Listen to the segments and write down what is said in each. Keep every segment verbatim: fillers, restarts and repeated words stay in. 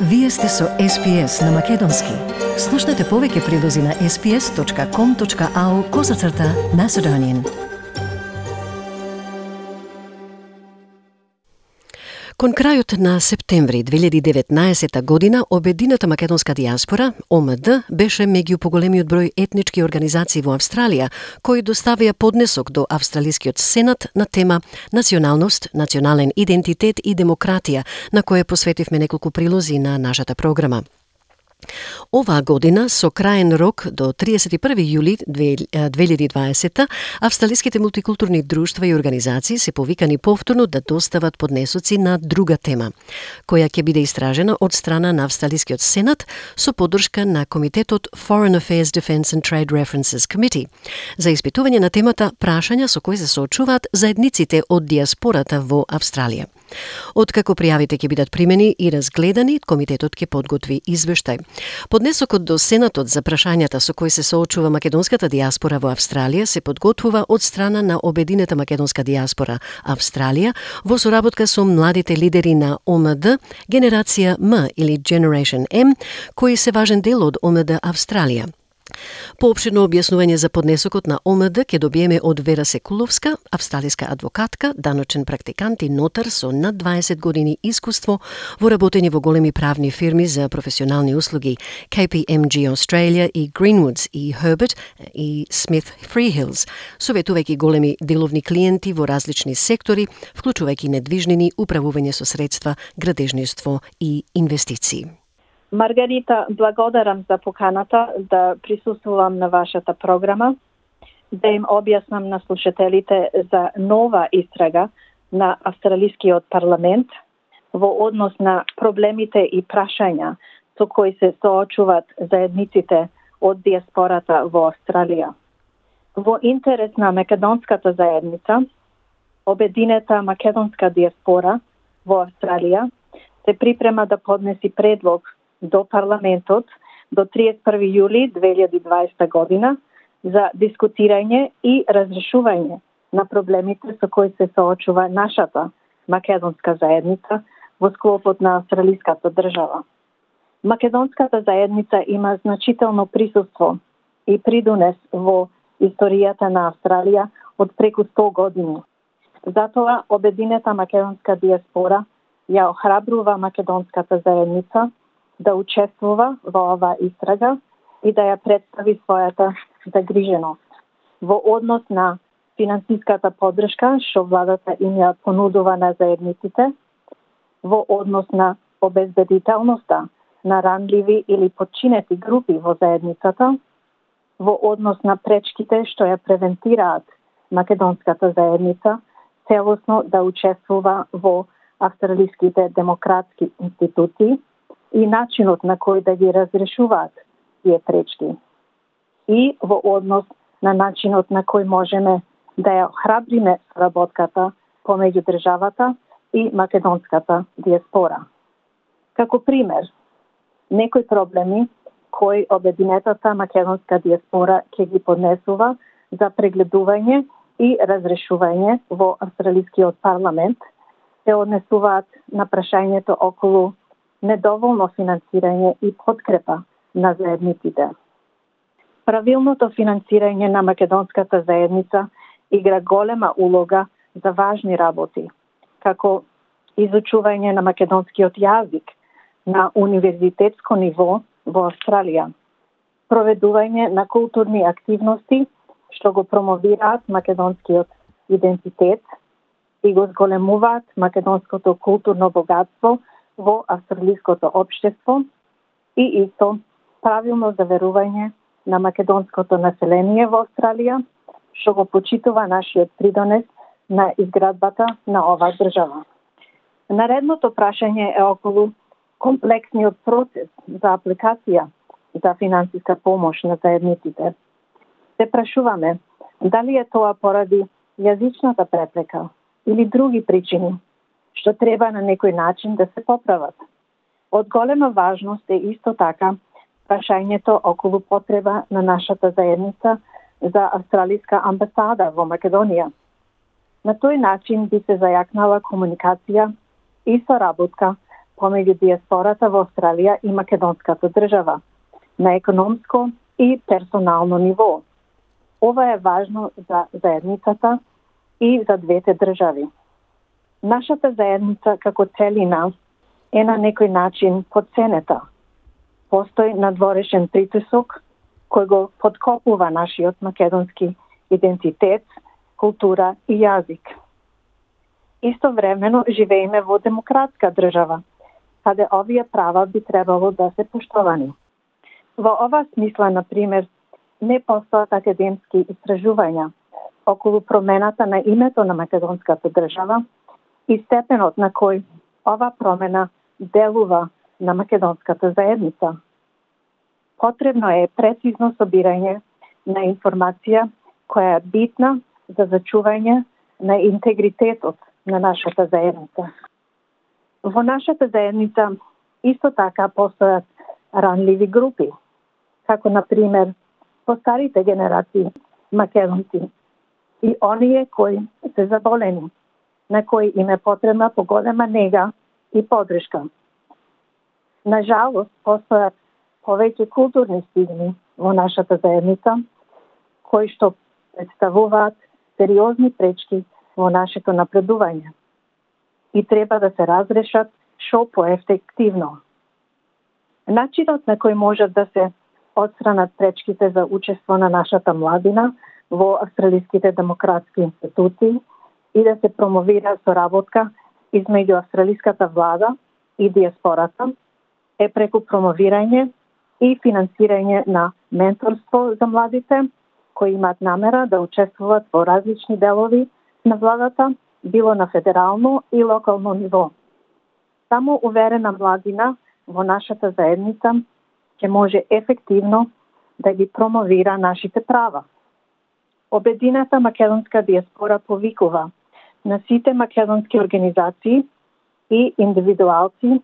Вие сте со Ес Пи Ес на Македонски. Слушнете повеќе прилози на ес пи ес точка ком точка ау козацрта Macedonian. Кон крајот на септември две илјади и деветнаесетта година, обединета македонска дијаспора, О М Д, беше меѓу поголемиот број етнички организации во Австралија, кои доставија поднесок до Австралискиот Сенат на тема Националност, национален идентитет и демократија, на која посветивме неколку прилози на нашата програма. Оваа година, со краен рок до триесет и први јули две илјади и дваесетта, австралиските мултикултурни друштва и организации се повикани повторно да достават поднесоци на друга тема, која ќе биде истражена од страна на Австралискиот Сенат со поддршка на Комитетот Foreign Affairs Defence and Trade References Committee за испитување на темата прашања со кои се соочуваат заедниците од дијаспората во Австралија. Откако пријавите ќе бидат примени и разгледани, комитетот ќе подготви извештај. Поднесокот до Сенатот за прашањата со кои се соочува македонската дијаспора во Австралија се подготвува од страна на обединета македонска дијаспора Австралија во соработка со младите лидери на О М Д, Генерација М или Generation М, кои се важен дел од О М Д Австралија. Поопширно објаснување за поднесокот на О М Д ќе добиеме од Вера Секуловска, австралиска адвокатка, даночен практикант и нотар со над дваесет години искуство во работење во големи правни фирми за професионални услуги К П М Г Australia и Greenwoods и Herbert и Smith Freehills, советувајќи големи деловни клиенти во различни сектори, вклучувајќи недвижнини, управување со средства, градежништво и инвестиции. Маргарита, благодарам за поканата да присуствувам на вашата програма, да им објаснам на слушателите за нова истрага на Австралискиот парламент во однос на проблемите и прашања со кои се соочуваат заедниците од дијаспората во Австралија. Во интерес на македонската заедница, обединета македонска дијаспора во Австралија се припрема да поднеси предлог до парламентот до триесет и први јули две илјади и дваесетта година за дискутирање и разрешување на проблемите со кои се соочува нашата македонска заедница во склопот на австралиската држава. Македонската заедница има значително присуство и придонес во историјата на Австралија од преку сто години. Затоа обединета македонска дијаспора ја охрабрува македонската заедница да учествува во оваа истрага и да ја представи својата загриженост во однос на финансиската поддршка што владата им ја понудува на заедниците, во однос на обезбедителноста на ранливи или подчинети групи во заедницата, во однос на пречките што ја превентираат македонската заедница целосно да учествува во австралиските демократски институции и начинот на кој да ги разрешуваат тие пречки. И во однос на начинот на кој можеме да ја охрабриме соработката помеѓу државата и македонската дијаспора. Како пример, некои проблеми кои обединетата македонска дијаспора ќе ги поднесува за прегледување и разрешување во австралискиот парламент се однесуваат на прашањето околу недоволно финансирање и подкрепа на заедниците. Правилното финансирање на македонската заедница игра голема улога за важни работи, како изучување на македонскиот јазик на универзитетско ниво во Австралија, проведување на културни активности што го промовираат македонскиот идентитет и го зголемуваат македонското културно богатство во австралиското општество и исто правилно заверување на македонското население во Австралија, што го почитува нашиот придонес на изградбата на оваа држава. Наредното прашање е околу комплексниот процес за апликација за финансиска помош на заедниците. Се прашуваме дали е тоа поради јазичната препрека или други причини што треба на некој начин да се поправат. Од голема важност е исто така прашањето околу потреба на нашата заедница за австралиска амбасада во Македонија. На тој начин би се зајакнала комуникација и соработка помеѓу диаспората во Австралија и македонската држава на економско и персонално ниво. Ова е важно за заедницата и за двете држави. Нашата заедница како целина е на некој начин потценета. Постои надворешен притисок кој го подкопува нашиот македонски идентитет, култура и јазик. Истовремено живееме во демократска држава, каде овие права би требало да се поштовани. Во ова смисла, на пример, не постојат академски истражувања околу промената на името на македонската држава и степенот на кој ова промена делува на македонската заедница. Потребно е прецизно собирање на информација која е битна за зачување на интегритетот на нашата заедница. Во нашата заедница исто така постојат ранливи групи, како на пример постарите генерации македонци и оние кои се заболени, на кои им е потребна поголема нега и поддршка. На жалост, постојат повеќе културни стигми во нашата заедница, кои што представуваат сериозни пречки во нашето напредување и треба да се разрешат шо поефективно. Начинот на кој можат да се отстранат пречките за учество на нашата младина во австралиските демократски институции и да се промовира соработка измеѓу австралиската влада и диаспората е преку промовирање и финансирање на менторство за младите кои имаат намера да учествуваат во различни делови на владата, било на федерално и локално ниво. Само уверена младина во нашата заедница ќе може ефективно да ги промовира нашите права. Обединета македонска диаспора повикува на сите македонски организации и индивидуалци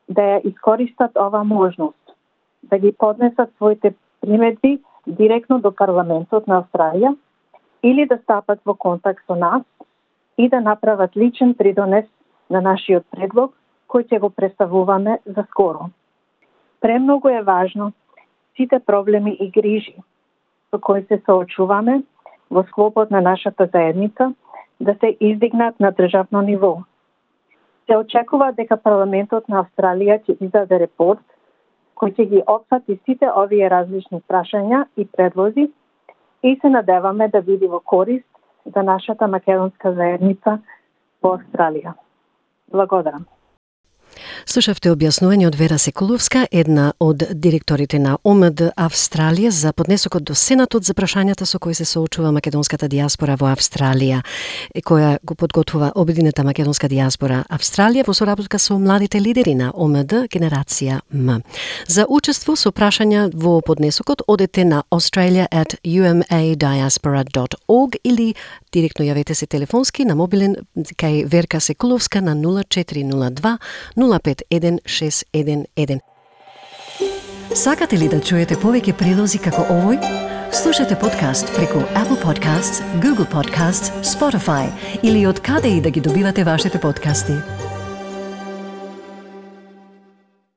да ја искористат ова можност, да ги поднесат своите примедби директно до парламентот на Австралија или да стапат во контакт со нас и да направат личен придонес на нашиот предлог кој ќе го представуваме за скоро. Премногу е важно сите проблеми и грижи со кои се соочуваме во склопот на нашата заедница да се издигнат на државно ниво. Се очекува дека парламентот на Австралија ќе издаде репорт кој ќе ги опфати сите овие различни прашања и предлози и се надеваме да биде во корист за нашата македонска заедница во Австралија. Благодарам. Слушавте објаснување од Вера Секуловска, една од директорите на О М Д Австралија, за поднесокот до Сенатот за прашањата со кои се соочува македонската диаспора во Австралија, која го подготвува Обединета македонска диаспора Австралија во соработка со младите лидери на О М Д Генерација М. За учество со прашања во поднесокот одете на australia at u m a diaspora dot org или директно јавете се телефонски на мобилен кај Верка Секуловска на нула четири нула два нула пет еден шест еден еден. Сакате ли да чуете повеќе прилози како овој? Слушате подкаст преку Apple Podcasts, Google Podcasts, Spotify или од каде и да ги добивате вашите подкасти.